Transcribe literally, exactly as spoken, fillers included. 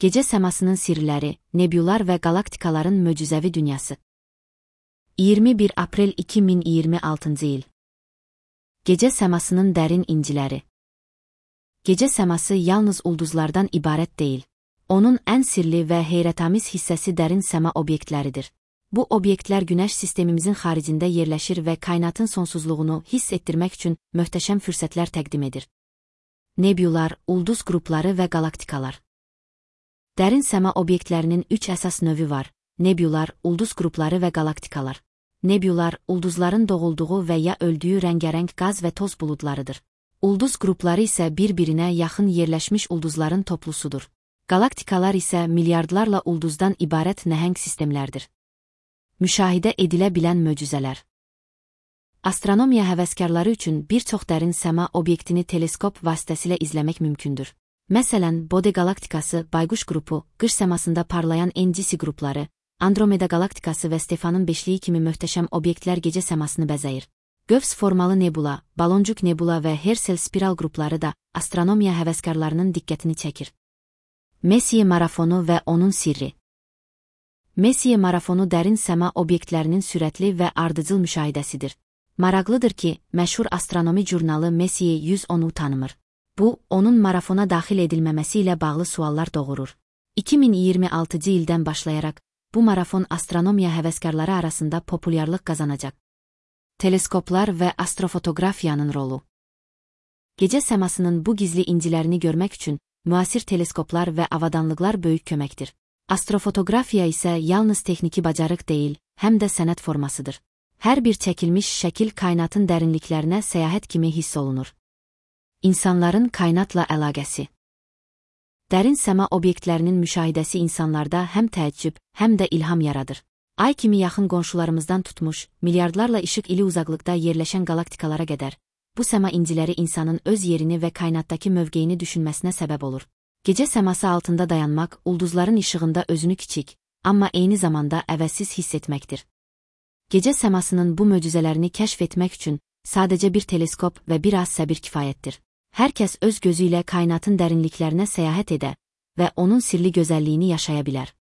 Gecə səmasının sirləri, nebülar və qalaktikaların möcüzəvi dünyası. iyirmi bir aprel iki min iyirmi altıncı il. Gecə səmasının dərin inciləri. Gecə səması yalnız ulduzlardan ibarət deyil. Onun ən sirli və heyrətamiz hissəsi dərin səma obyektləridir. Bu obyektlər Günəş sistemimizin xaricində yerləşir və kainatın sonsuzluğunu hiss etdirmək üçün möhtəşəm fürsətlər təqdim edir. Nebülar, ulduz qrupları və qalaktikalar. Dərin səma obyektlərinin üç əsas növü var. Nebülar, ulduz qrupları və qalaktikalar. Nebülar, ulduzların doğulduğu və ya öldüyü rəngarəng qaz və toz buludlarıdır. Ulduz qrupları isə bir-birinə yaxın yerləşmiş ulduzların toplusudur. Qalaktikalar isə milyardlarla ulduzdan ibarət nəhəng sistemlərdir. Müşahidə edilə bilən möcüzələr. Astronomiya həvəskarları üçün bir çox dərin səma obyektini teleskop vasitəsilə izləmək mümkündür. Məsələn, Bode qalaktikası, Bayquş qrupu, qış səmasında parlayan N G C qrupları, Andromeda qalaktikası və Stefanın beşliyi kimi möhtəşəm obyektlər gecə səmasını bəzəyir. Qövs formalı nebula, Baloncuq nebula və Herschel spiral qrupları da astronomiya həvəskarlarının diqqətini çəkir. Messier marafonu və onun sirri. Messier marafonu dərin səma obyektlərinin sürətli və ardıcıl müşahidəsidir. Maraqlıdır ki, məşhur astronomi jurnalı Messier yüz onu tanımır. Bu, onun marafona daxil edilməməsi ilə bağlı suallar doğurur. iki min iyirmi altıncı ildən başlayaraq, bu marafon astronomiya həvəskarları arasında populyarlıq qazanacaq. Teleskoplar və astrofotografiyanın rolu. Gecə səmasının bu gizli incilərini görmək üçün müasir teleskoplar və avadanlıqlar böyük köməkdir. Astrofotografiya isə yalnız texniki bacarıq deyil, həm də sənət formasıdır. Hər bir çəkilmiş şəkil kainatın dərinliklərinə səyahət kimi hiss olunur. İnsanların kainatla əlaqəsi. Dərin səma obyektlərinin müşahidəsi insanlarda həm təəccüb, həm də ilham yaradır. Ay kimi yaxın qonşularımızdan tutmuş, milyardlarla işıq ili uzaqlıqda yerləşən qalaktikalara qədər, bu səma inciləri insanın öz yerini və kainatdakı mövqeyini düşünməsinə səbəb olur. Gecə səması altında dayanmaq, ulduzların işığında özünü kiçik, amma eyni zamanda əvəzsiz hiss etməkdir. Gecə səmasının bu möcüzələrini kəşf etmək üçün sadəcə bir teleskop və bir az səbir kifayətdir. Hər kəs öz gözü ilə kainatın dərinliklərinə səyahət edə və onun sirli gözəlliyini yaşaya bilər.